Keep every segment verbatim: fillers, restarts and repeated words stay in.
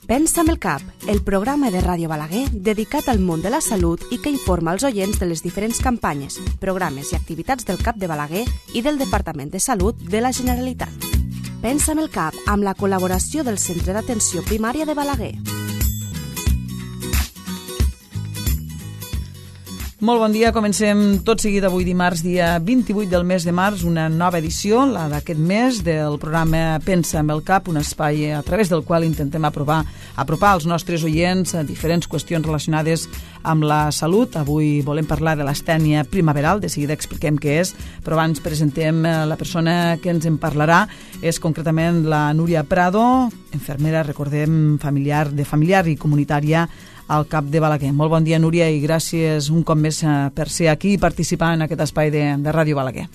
Pensa amb el cap, el programa de Ràdio Balaguer dedicat al món de la salut i que informa els oients de les diferents campanyes, programes i activitats del CAP de Balaguer i del Departament de Salut de la Generalitat. Pensa amb el cap, amb la col·laboració del Centre d'Atenció Primària de Balaguer. Molt bon dia, comencem tot seguit avui dimarts, dia vint-i-vuit del mes de març, una nova edició, la d'aquest mes, del programa Pensa amb el cap, un espai a través del qual intentem aprovar, apropar als nostres oients a diferents qüestions relacionades amb la salut. Avui volem parlar de l'astènia primaveral, de seguida expliquem què és, però abans presentem la persona que ens en parlarà, és concretament la Núria Prado, infermera, recordem, familiar, de familiar i comunitària al CAP de Balaguer. Molt bon dia, Núria, i gràcies un cop més per ser aquí i participar en aquest espai de, de Ràdio Balaguer.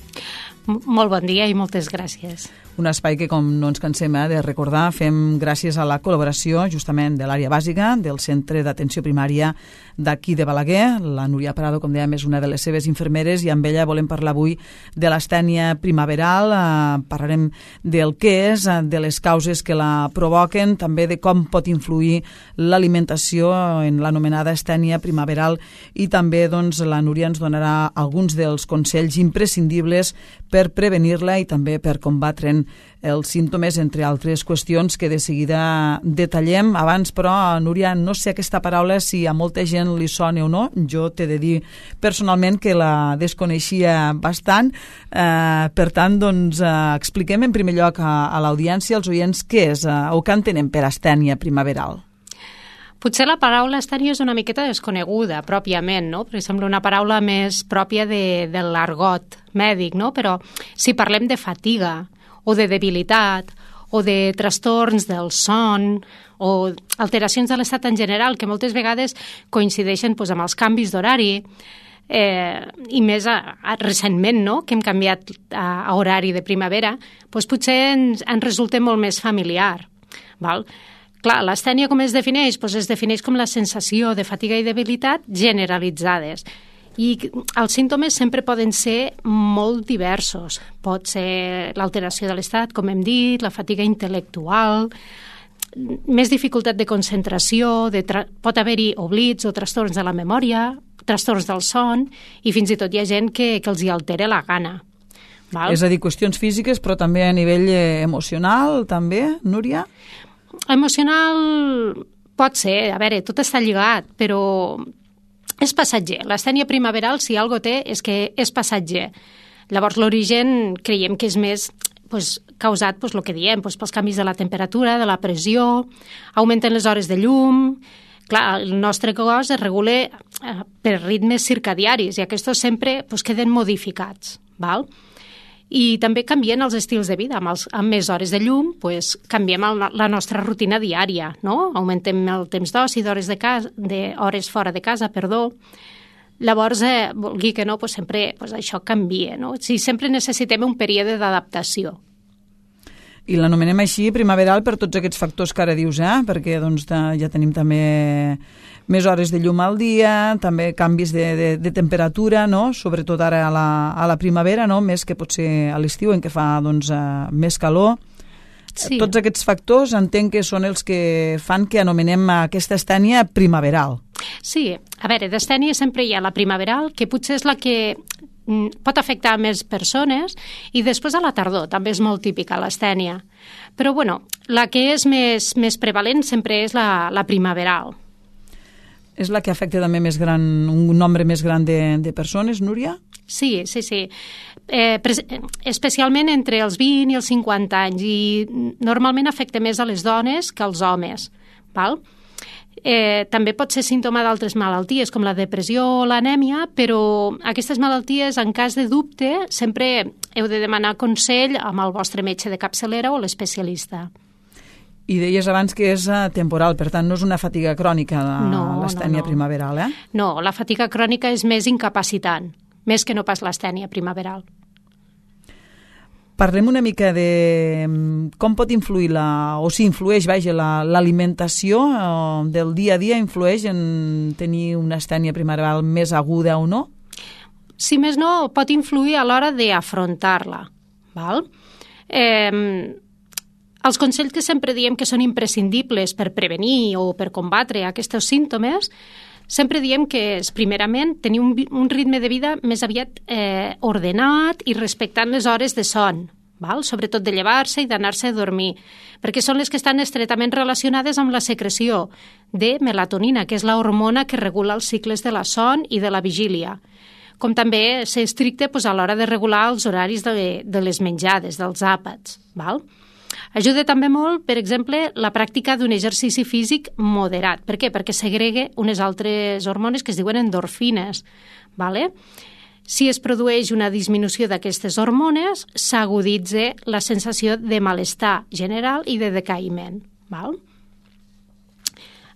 Molt bon dia i moltes gràcies. Un espai que, com no ens cansem eh, de recordar, fem gràcies a la col·laboració justament de l'àrea bàsica del Centre d'Atenció Primària d'aquí de Balaguer. La Núria Prado, com dèiem, és una de les seves infermeres i amb ella volem parlar avui de l'astènia primaveral. Eh, parlarem del què és, de les causes que la provoquen, també de com pot influir l'alimentació en l'anomenada astènia primaveral i també doncs, la Núria ens donarà alguns dels consells imprescindibles per prevenir-la i també per combatre'n els símptomes, entre altres qüestions que de seguida detallem. Abans, però, Núria, no sé aquesta paraula si a molta gent li sona o no. Jo t'he de dir personalment que la desconeixia bastant. Eh, per tant, doncs, eh, expliquem en primer lloc a, a l'audiència, als oients, què és eh, o què entenem per astènia primaveral. Potser la paraula astènia és una miqueta desconeguda, pròpiament, no? Perquè sembla una paraula més pròpia de, de l'argot mèdic, no? Però si parlem de fatiga o de debilitat o de trastorns del son o alteracions de l'estat en general, que moltes vegades coincideixen doncs, amb els canvis d'horari, eh, i més a, a, recentment, no?, que hem canviat a, a horari de primavera, doncs potser ens, ens resulta molt més familiar, val? Clar, l'astènia com es defineix? Pues es defineix com la sensació de fatiga i debilitat generalitzades. I els símptomes sempre poden ser molt diversos. Pot ser l'alteració de l'estat, com hem dit, la fatiga intel·lectual, més dificultat de concentració, de tra- pot haver-hi oblits o trastorns de la memòria, trastorns del son, i fins i tot hi ha gent que, que els hi altera la gana. Val? És a dir, qüestions físiques, però també a nivell eh, emocional, també, Núria? Emocional pot ser, a veure, tot està lligat, però és passatger. L'astènia primaveral, si algo té, és que és passatger. Llavors, l'origen creiem que és més pues, causat, pues, el que diem, pues, pels canvis de la temperatura, de la pressió, augmenten les hores de llum. Clar, el nostre cos es regula eh, per ritmes circadiaris i aquests sempre pues, queden modificats, val? I també canvien els estils de vida. Amb, els, amb més hores de llum, pues, canviem el, la nostra rutina diària, no? Augmentem el temps d'oci, d'hores de casa, de hores fora de casa, perdó. Llavors, eh, vulgui que no, pues, sempre pues, això canvia, no? O sigui, sempre necessitem un període d'adaptació. I l'anomenem així primaveral per tots aquests factors que ara dius, eh? Perquè doncs, ja tenim també més hores de llum al dia, també canvis de, de, de temperatura, no? Sobretot ara a la, a la primavera, no? Més que potser a l'estiu en què fa doncs, uh, més calor. Sí. Tots aquests factors entenc que són els que fan que anomenem aquesta astènia primaveral. Sí, a veure, d'astènia sempre hi ha la primaveral, que potser és la que pot afectar més persones, i després a la tardor també és molt típica l'astènia. Però, bueno, la que és més, més prevalent sempre és la, la primaveral. És la que afecta també més gran, un nombre més gran de, de persones, Núria? Sí, sí, sí. Eh, pres- especialment entre els vint i els cinquanta anys, i normalment afecta més a les dones que als homes, val? Eh, també pot ser símptoma d'altres malalties, com la depressió o l'anèmia, però aquestes malalties, en cas de dubte, sempre heu de demanar consell amb el vostre metge de capçalera o l'especialista. I deies abans que és temporal, per tant no és una fatiga crònica no, l'astènia no, no. primaveral, eh? No, la fatiga crònica és més incapacitant, més que no pas l'astènia primaveral. Parlem una mica de com pot influir, la, o si influeix, vaja, l'alimentació la, del dia a dia, influeix en tenir una astènia primaveral més aguda o no? Si més no, pot influir a l'hora d'afrontar-la, val? Eh, els consells que sempre diem que són imprescindibles per prevenir o per combatre aquests símptomes, sempre diem que és, primerament, tenir un, un ritme de vida més aviat eh, ordenat i respectant les hores de son, val? Sobretot de llevar-se i d'anar-se a dormir, perquè són les que estan estretament relacionades amb la secreció de melatonina, que és la hormona que regula els cicles de la son i de la vigília, com també ser estricte pues, a l'hora de regular els horaris de, de les menjades, dels àpats. Val? Ajuda també molt, per exemple, la pràctica d'un exercici físic moderat. Per què? Perquè segrega unes altres hormones que es diuen endorfines. Vale? Si es produeix una disminució d'aquestes hormones, s'aguditza la sensació de malestar general i de decaïment. Val?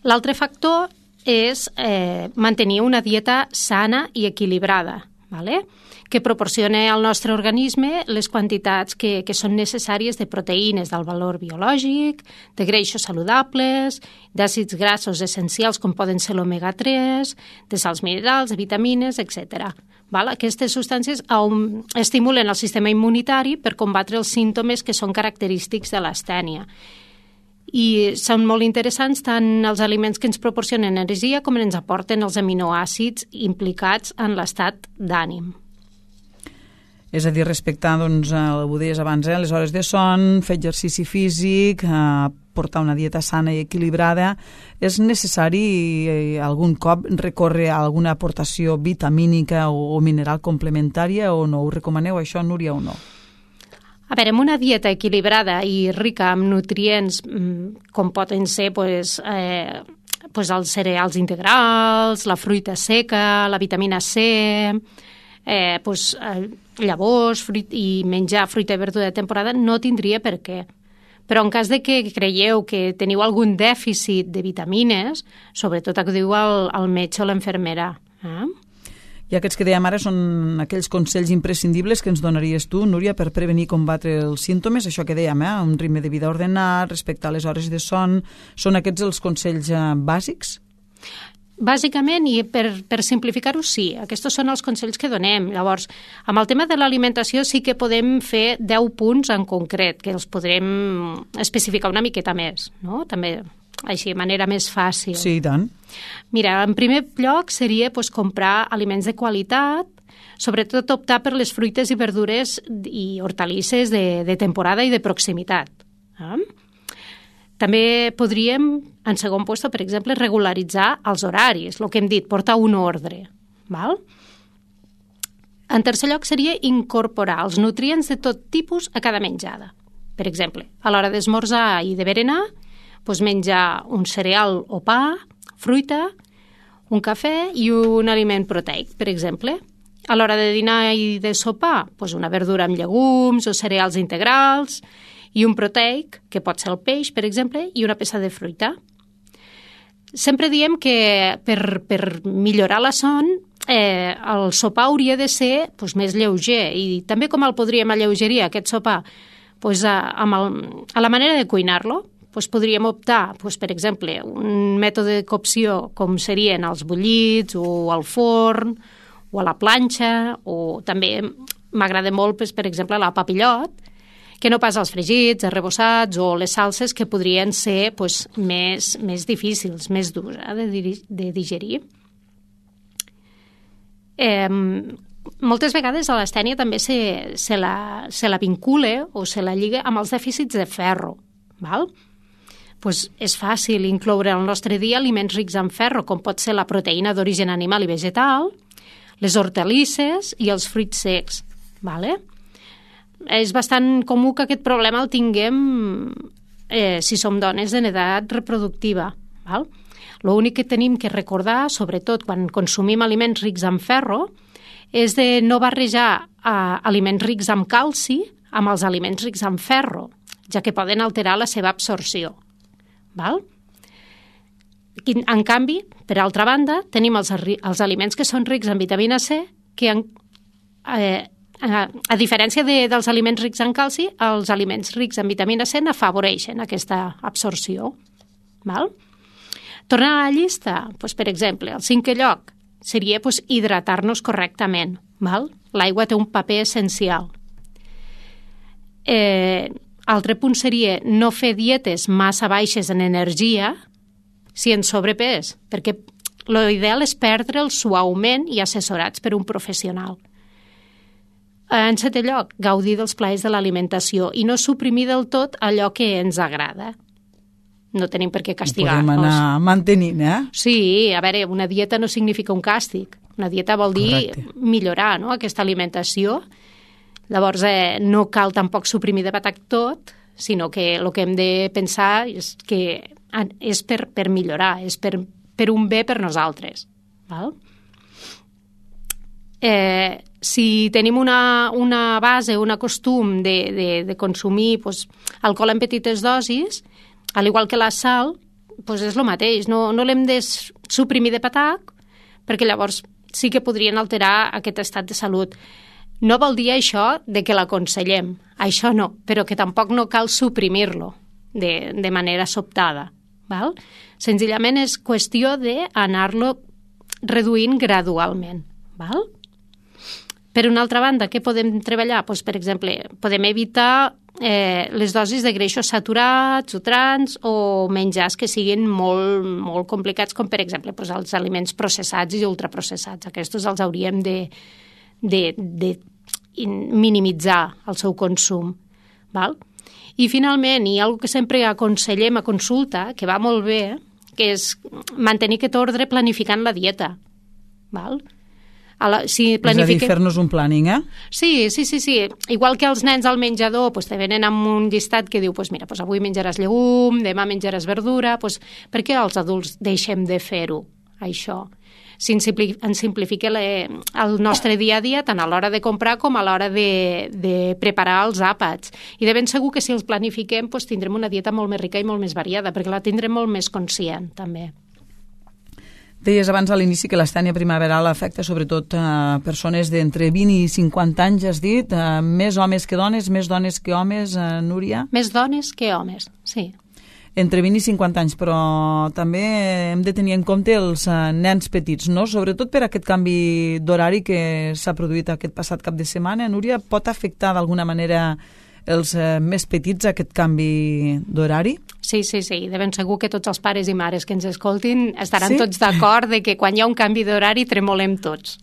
L'altre factor és eh, mantenir una dieta sana i equilibrada, vale? Que proporciona al nostre organisme les quantitats que, que són necessàries de proteïnes del valor biològic, de greixos saludables, d'àcids grassos essencials com poden ser l'omega tres, de sals minerals, de vitamines, etcètera. Val? Aquestes substàncies um, estimulen el sistema immunitari per combatre els símptomes que són característics de l'astènia. I són molt interessants tant els aliments que ens proporcionen energia com ens aporten els aminoàcids implicats en l'estat d'ànim. És a dir, respectar, doncs, ho deies abans, eh, les hores de son, fer exercici físic, eh, portar una dieta sana i equilibrada. És necessari eh, algun cop recórrer a alguna aportació vitamínica o, o mineral complementària o no? Ho recomaneu això, Núria, o no? A veure, amb una dieta equilibrada i rica en nutrients com poden ser pues, eh, pues els cereals integrals, la fruita seca, la vitamina C, eh, pues, eh, llavors fruit, i menjar fruita i verdura de temporada, no tindria per què. Però en cas de que creieu que teniu algun dèficit de vitamines, sobretot acudiu al, al metge o l'infermera. Eh? I aquests que dèiem ara són aquells consells imprescindibles que ens donaries tu, Núria, per prevenir i combatre els símptomes, això que dèiem, eh? Un ritme de vida ordenat, respectar les hores de son, són aquests els consells eh, bàsics? Bàsicament, i per, per simplificar-ho, sí. Aquests són els consells que donem. Llavors, amb el tema de l'alimentació sí que podem fer deu punts en concret, que els podrem especificar una miqueta més, no? També així, de manera més fàcil. Sí, i tant. Mira, en primer lloc seria pues, comprar aliments de qualitat, sobretot optar per les fruites i verdures i hortalisses de, de temporada i de proximitat. Eh? També podríem, en segon lloc, per exemple, regularitzar els horaris, el que hem dit, portar un ordre. Val? En tercer lloc seria incorporar els nutrients de tot tipus a cada menjada. Per exemple, a l'hora d'esmorzar i de berenar, doncs menjar un cereal o pa, fruita, un cafè i un aliment proteic, per exemple. A l'hora de dinar i de sopar, doncs una verdura amb llegums o cereals integrals i un proteic, que pot ser el peix, per exemple, i una peça de fruita. Sempre diem que per, per millorar la son, eh, el sopar hauria de ser doncs, més lleuger, i també com el podríem alleugerir, aquest sopar, doncs, a, amb el, a la manera de cuinar-lo. Doncs podríem optar, doncs, per exemple, un mètode de cocció com serien els bullits o al forn o a la planxa, o també m'agrada molt, doncs, per exemple, la papillot, que no pas els fregits, els rebossats o les salses que podrien ser doncs, més, més difícils, més durs eh, de, de digerir. Eh, moltes vegades a l'astènia també se, se, la, se la vincula o se la lliga amb els dèficits de ferro, val? Pues és fàcil incloure al nostre dia aliments rics en ferro, com pot ser la proteïna d'origen animal i vegetal, les hortalisses i els fruits secs. Vale? És bastant comú que aquest problema el tinguem eh, si som dones en edat reproductiva. Val? L'únic que tenim que recordar, sobretot quan consumim aliments rics en ferro, és de no barrejar eh, aliments rics en calci amb els aliments rics en ferro, ja que poden alterar la seva absorció. Val? En canvi, per altra banda, tenim els, els aliments que són rics en vitamina C, que en, eh, a, a diferència de, dels aliments rics en calci, els aliments rics en vitamina C n'afavoreixen aquesta absorció. Val? Tornant a la llista, doncs, per exemple, el cinquè lloc seria doncs, hidratar-nos correctament. Val? L'aigua té un paper essencial. Eh, altre punt seria no fer dietes massa baixes en energia si ens sobrepès, perquè l'ideal és perdre'l suaument i assessorats per un professional. En setè lloc, gaudir dels plaers de l'alimentació i no suprimir del tot allò que ens agrada. No tenim per què castigar-nos. Podem anar mantenint, eh? Sí, a veure, una dieta no significa un càstig. Una dieta vol dir Correcte. millorar, no?, aquesta alimentació. Llavors, eh, no cal tampoc suprimir de patac tot, sinó que el que hem de pensar és que és per, per millorar, és per, per un bé per nosaltres. Val? Eh, si tenim una, una base, un costum de, de, de consumir pues, alcohol en petites dosis, al igual que la sal, pues és el mateix. No, no l'hem de suprimir de patac, perquè llavors sí que podrien alterar aquest estat de salut. No vol dir això de que l'aconsellem, això no, però que tampoc no cal suprimir-lo de, de manera sobtada. Val? Senzillament és qüestió d'anar-lo reduint gradualment. Val? Per una altra banda, què podem treballar? Pues, per exemple, podem evitar eh, les dosis de greixos saturats o trans o menjars que siguin molt, molt complicats, com per exemple pues, els aliments processats i ultraprocessats. Aquests els hauríem de, de, de minimitzar el seu consum. Val? I finalment, hi ha una que sempre aconsellem a consulta, que va molt bé, que és mantenir aquest ordre planificant la dieta. Val? A la, si planifiquem... És a dir, fer-nos un planning, eh? Sí, sí, sí, sí. Igual que els nens al menjador pues, te venen amb un llistat que diu pues, mira, pues, avui menjaràs llegum, demà menjaràs verdura... Pues, per què els adults deixem de fer-ho, això? Si ens simplifica el nostre dia a dia tant a l'hora de comprar com a l'hora de, de preparar els àpats. I de ben segur que si els planifiquem pues, tindrem una dieta molt més rica i molt més variada, perquè la tindrem molt més conscient, també. Deies abans a l'inici que l'estènia primaveral afecta sobretot a persones d'entre vint i cinquanta anys, has dit, uh, més homes que dones, més dones que homes, uh, Núria? Més dones que homes, sí. Entre vint i cinquanta anys, però també hem de tenir en compte els uh, nens petits, no? Sobretot per aquest canvi d'horari que s'ha produït aquest passat cap de setmana. Núria, pot afectar d'alguna manera els uh, més petits aquest canvi d'horari? Sí, sí, sí. De ben segur que tots els pares i mares que ens escoltin estaran sí? tots d'acord de que quan hi ha un canvi d'horari tremolem tots.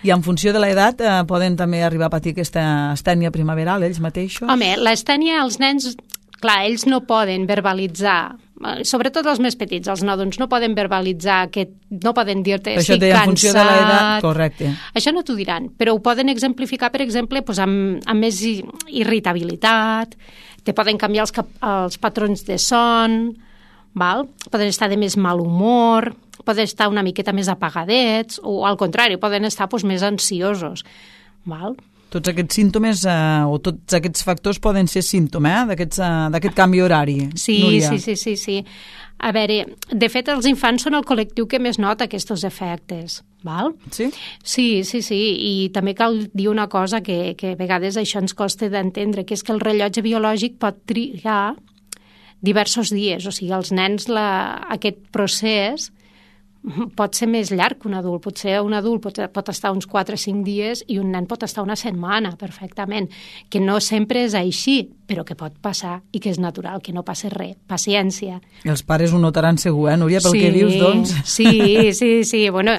I en funció de l'edat eh, poden també arribar a patir aquesta estènia primaveral, ells mateixos? Home, l'estènia, els nens, clar, ells no poden verbalitzar, sobretot els més petits, els nadons, no poden verbalitzar, que no poden dir-te estic cansat. En funció de l'edat, correcte. Això no t'ho diran, però ho poden exemplificar, per exemple, doncs amb, amb més irritabilitat, te poden canviar els, cap, els patrons de son, val? Poden estar de més mal humor, poden estar una miqueta més apagadets, o al contrari, poden estar doncs, més ansiosos. Val? Tots aquests símptomes eh, o tots aquests factors poden ser símptoma eh, d'aquest eh, canvi horari, sí, Núria. Sí, sí, sí, sí. A veure, de fet, els infants són el col·lectiu que més nota aquests efectes, val? Sí? Sí, sí, sí, i també cal dir una cosa que, que a vegades això ens costa d'entendre, que és que el rellotge biològic pot trigar diversos dies, o sigui, els nens la, aquest procés pot ser més llarg que un adult. Potser un adult pot, pot estar uns quatre o cinc dies i un nen pot estar una setmana perfectament, que no sempre és així, però que pot passar i que és natural, que no passi res. Paciència. I els pares ho notaran segur, eh, Núria, pel sí, que dius, doncs? Sí, sí, sí. Bueno,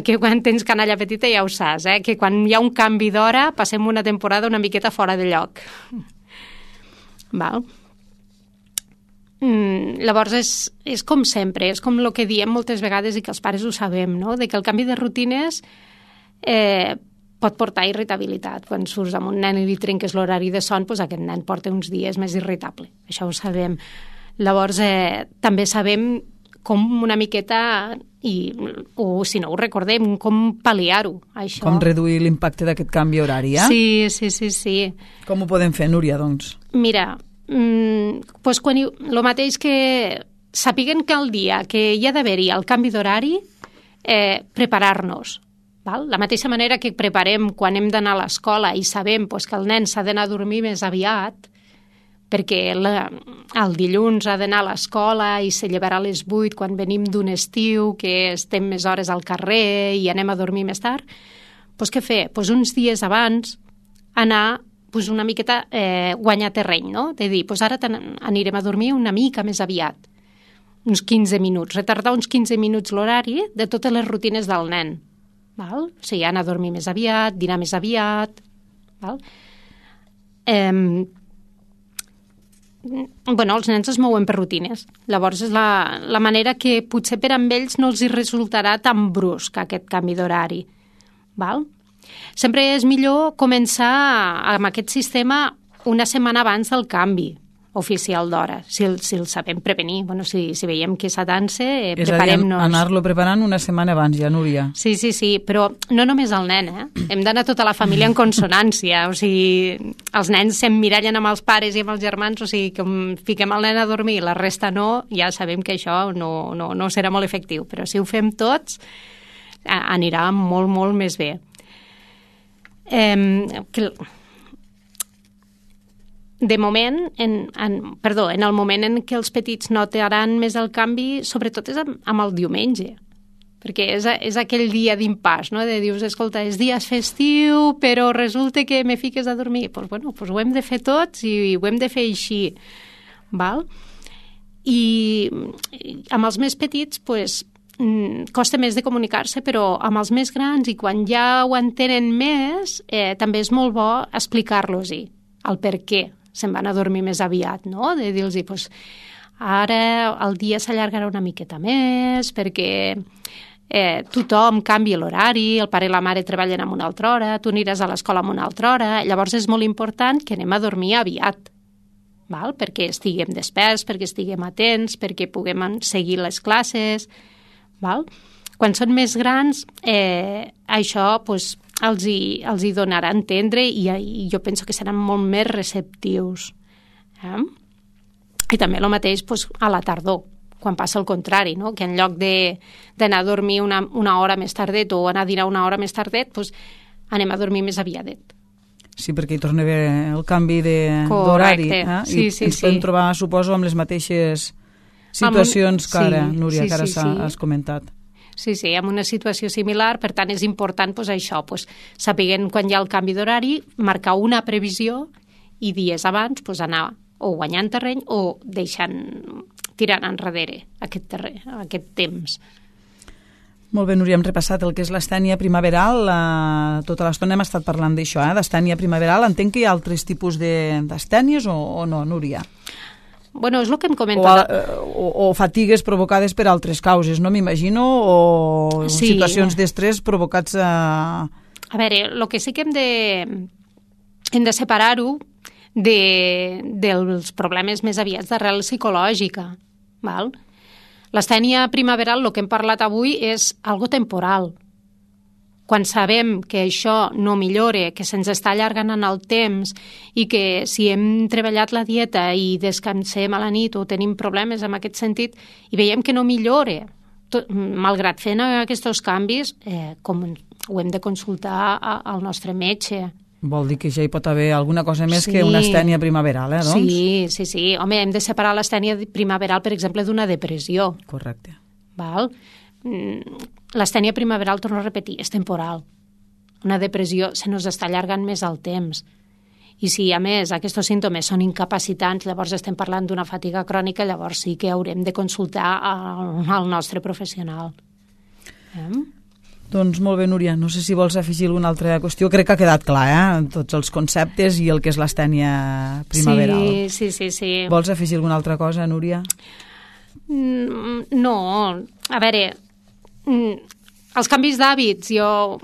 que quan tens canalla petita ja ho saps, eh? Que quan hi ha un canvi d'hora passem una temporada una miqueta fora de lloc. Val? Mm, llavors és, és com sempre, és com el que diem moltes vegades i que els pares ho sabem, no? De que el canvi de rutines eh, pot portar irritabilitat. Quan surts amb un nen i li trenques l'horari de son, doncs aquest nen porta uns dies més irritable. Això ho sabem. Llavors eh, també sabem com una miqueta, i, o si no ho recordem, com pal·liar-ho, això. Com reduir l'impacte d'aquest canvi horari, eh? Sí, sí, sí, sí. Com ho podem fer, Núria, doncs? Mira, Mm, pues quan hi, el mateix que sapiguen que el dia que hi ha d'haver-hi el canvi d'horari, eh, preparar-nos. Val? La mateixa manera que preparem quan hem d'anar a l'escola i sabem pues, que el nen s'ha d'anar a dormir més aviat, perquè la, el dilluns ha d'anar a l'escola i se llevarà a les vuit quan venim d'un estiu, que estem més hores al carrer i anem a dormir més tard, pues, què fer? Pues uns dies abans anar pues, una miqueta eh, guanyar terreny, no? De dir, pues ara anirem a dormir una mica més aviat, uns quinze minuts, retardar uns quinze minuts l'horari de totes les rutines del nen. Val? O sigui, anar a dormir més aviat, dinar més aviat. Val? Eh, bueno, els nens es mouen per rutines. Llavors és la, la manera que potser per amb ells no els hi resultarà tan brusc aquest canvi d'horari. Val? Sempre és millor començar amb aquest sistema una setmana abans del canvi oficial d'hora, si el, si el sabem prevenir. Bueno, si, si veiem que s'atança, eh, preparem-nos. És a dir, anar-lo preparant una setmana abans, ja, Núria. Sí, sí, sí, però no només el nen, eh? Hem d'anar tota la família en consonància, o sigui, els nens s'emmirallen amb els pares i amb els germans, o sigui, com fiquem el nen a dormir i la resta no, ja sabem que això no, no, no serà molt efectiu, però si ho fem tots, anirà molt, molt més bé. Eh, que... De moment, en, en, perdó, en el moment en què els petits notaran més el canvi, sobretot és amb, amb el diumenge, perquè és, és aquell dia d'impàs, no? De dius, escolta, és dia festiu, però resulta que me fiques a dormir. Doncs pues, bueno, pues ho hem de fer tots i ho hem de fer així, val? I, i amb els més petits, pues, costa més de comunicar-se, però amb els més grans i quan ja ho entenen més, eh, també és molt bo explicar-los-hi el per què se'n van a dormir més aviat, no? De dir-los, pues, ara el dia s'allargarà una miqueta més perquè eh, tothom canvia l'horari, el pare i la mare treballen en una altra hora, tu aniràs a l'escola en una altra hora, llavors és molt important que anem a dormir aviat, val? Perquè estiguem desperts, perquè estiguem atents, perquè puguem seguir les classes, val? Quan són més grans, eh, això, pues, els hi, els hi donarà a entendre i, i jo penso que seran molt més receptius. Eh? I també el mateix pues, a la tardor, quan passa el contrari, no? Que en lloc d'anar a dormir una, una hora més tardet o anar a dinar una hora més tardet, pues, anem a dormir més aviadet. Sí, perquè hi torna a haver el canvi d'horari. Eh? Sí, I sí, ens sí. podem trobar, suposo, amb les mateixes situacions un... que ara, sí, Núria, sí, que ara sí, sí. has comentat. Sí, sí, amb una situació similar, per tant és important pues, això, pues, sapiguent quan hi ha el canvi d'horari, marcar una previsió i dies abans pues, anar o guanyant terreny o deixant, tirant enrere aquest, terreny, aquest temps. Molt bé, Núria, hem repassat el que és l'estènia primaveral. La... Tota l'estona hem estat parlant d'això, eh? D'estènia primaveral. Entenc que hi ha altres tipus d'estènies o, o no, Núria? Bueno, és el que hem comentat. O, o, o fatigues provocades per altres causes, no m'imagino, o sí. Situacions d'estrès provocats a... A veure, el que sí que hem de, hem de separar-ho de, dels problemes més aviats d'arrel psicològica, val? L'estènia primaveral, el que hem parlat avui, és algo temporal. Quan sabem que això no millora, que se'ns està allargant en el temps i que si hem treballat la dieta i descansem a la nit o tenim problemes en aquest sentit i veiem que no millora, tot, malgrat fent aquests canvis, eh, com ho hem de consultar a, al nostre metge. Vol dir que ja hi pot haver alguna cosa més sí. que una estènia primaveral, eh, doncs? Sí, sí, sí. Home, hem de separar l'estènia primaveral, per exemple, d'una depressió. Correcte. Val? L'estènia primaveral, torno a repetir, és temporal. Una depressió se nos està allargant més el temps. I si, a més, aquests símptomes són incapacitants, llavors estem parlant d'una fatiga crònica, llavors sí que haurem de consultar al, al nostre professional. Eh? Doncs molt bé, Núria. No sé si vols afegir alguna altra qüestió. Crec que ha quedat clar, eh? Tots els conceptes i el que és l'estènia primaveral. Sí, sí, sí, sí. Vols afegir alguna altra cosa, Núria? No. A veure, els canvis d'hàbits, jo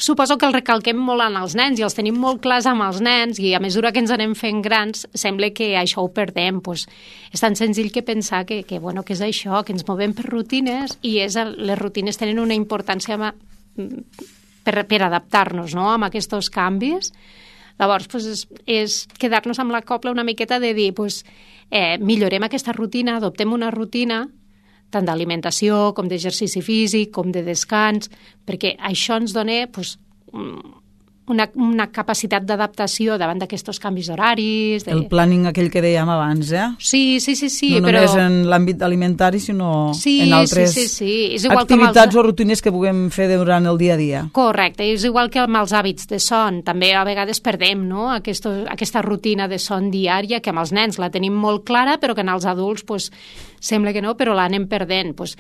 suposo que els recalquem molt en els nens i els tenim molt clars amb els nens i a mesura que ens anem fent grans sembla que això ho perdem. Pues és tan senzill que pensar que, que, bueno, que és això, que ens movem per rutines i és, les rutines tenen una importància per, per adaptar-nos, no?, amb aquests canvis. Llavors, pues, és, és quedar-nos amb la copla una miqueta de dir pues, eh, millorem aquesta rutina, adoptem una rutina tant d'alimentació com d'exercici físic, com de descans, perquè això ens dona pues, una, una capacitat d'adaptació davant d'aquests canvis d'horaris. De... El planning aquell que dèiem abans, eh? Sí, sí, sí. sí no però... només en l'àmbit alimentari, sinó sí, en altres sí, sí, sí. És igual activitats els... o rutines que puguem fer durant el dia a dia. Correcte, és igual que amb els hàbits de son. També a vegades perdem, no?, Aquest, aquesta rutina de son diària, que amb els nens la tenim molt clara, però que en els adults pues, sembla que no, però l'anem perdent. Pues,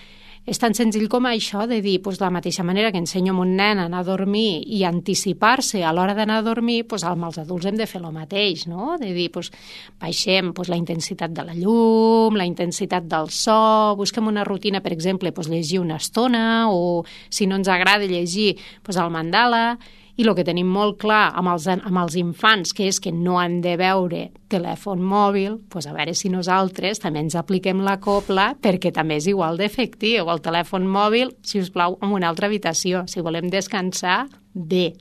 és tan senzill com això de dir, pues, de la mateixa manera que ensenyo a un nen a anar a dormir i anticipar-se a l'hora d'anar a dormir, pues, amb els adults hem de fer el mateix, no? De dir, pues, baixem pues, la intensitat de la llum, la intensitat del so, busquem una rutina, per exemple, pues, llegir una estona, o si no ens agrada llegir, pues, el mandala. I el que tenim molt clar amb els, amb els infants, que és que no han de veure telèfon mòbil, doncs a veure si nosaltres també ens apliquem la copla, perquè també és igual d'efectiu. El telèfon mòbil, si us plau, en una altra habitació. Si volem descansar, bé.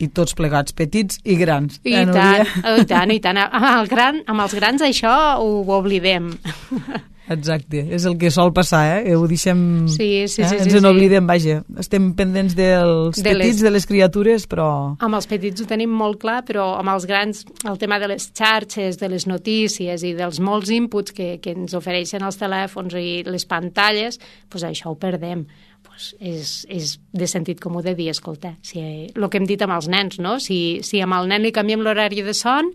I tots plegats, petits i grans. I eh, tant, i tant, i tant. Amb, el gran, amb els grans això ho oblidem. Exacte, és el que sol passar, eh? Ho deixem... Sí, sí, sí. Eh? Ens sí, n'oblidem, sí. Vaja. Estem pendents dels de petits, les... de les criatures, però... Amb els petits ho tenim molt clar, però amb els grans, el tema de les xarxes, de les notícies i dels molts inputs que, que ens ofereixen els telèfons i les pantalles, doncs això ho perdem. Pues és, és de sentit comú de dir, escolta, si, el que hem dit amb els nens, no? Si, si amb el nen li canviem l'horari de son,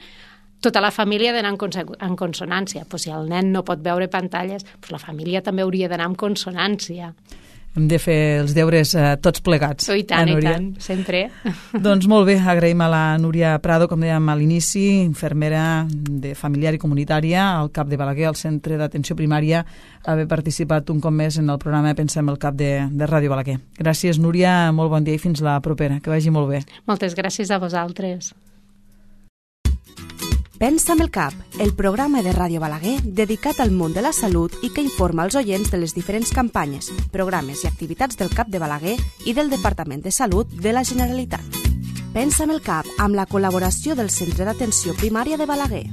tota la família ha d'anar en, en consonància. Pues si el nen no pot veure pantalles, pues la família també hauria d'anar en consonància. Hem de fer els deures eh, tots plegats. Oh, I tant, eh, i tant, sempre. Doncs molt bé, agraïm a la Núria Prado, com dèiem a l'inici, infermera de familiar i comunitària al CAP de Balaguer, al Centre d'Atenció Primària, haver participat un cop més en el programa Pensem el CAP de, de Ràdio Balaguer. Gràcies, Núria, molt bon dia i fins la propera. Que vagi molt bé. Moltes gràcies a vosaltres. Pensa amb el cap, el programa de Ràdio Balaguer dedicat al món de la salut i que informa els oients de les diferents campanyes, programes i activitats del CAP de Balaguer i del Departament de Salut de la Generalitat. Pensa amb el cap amb la col·laboració del Centre d'Atenció Primària de Balaguer.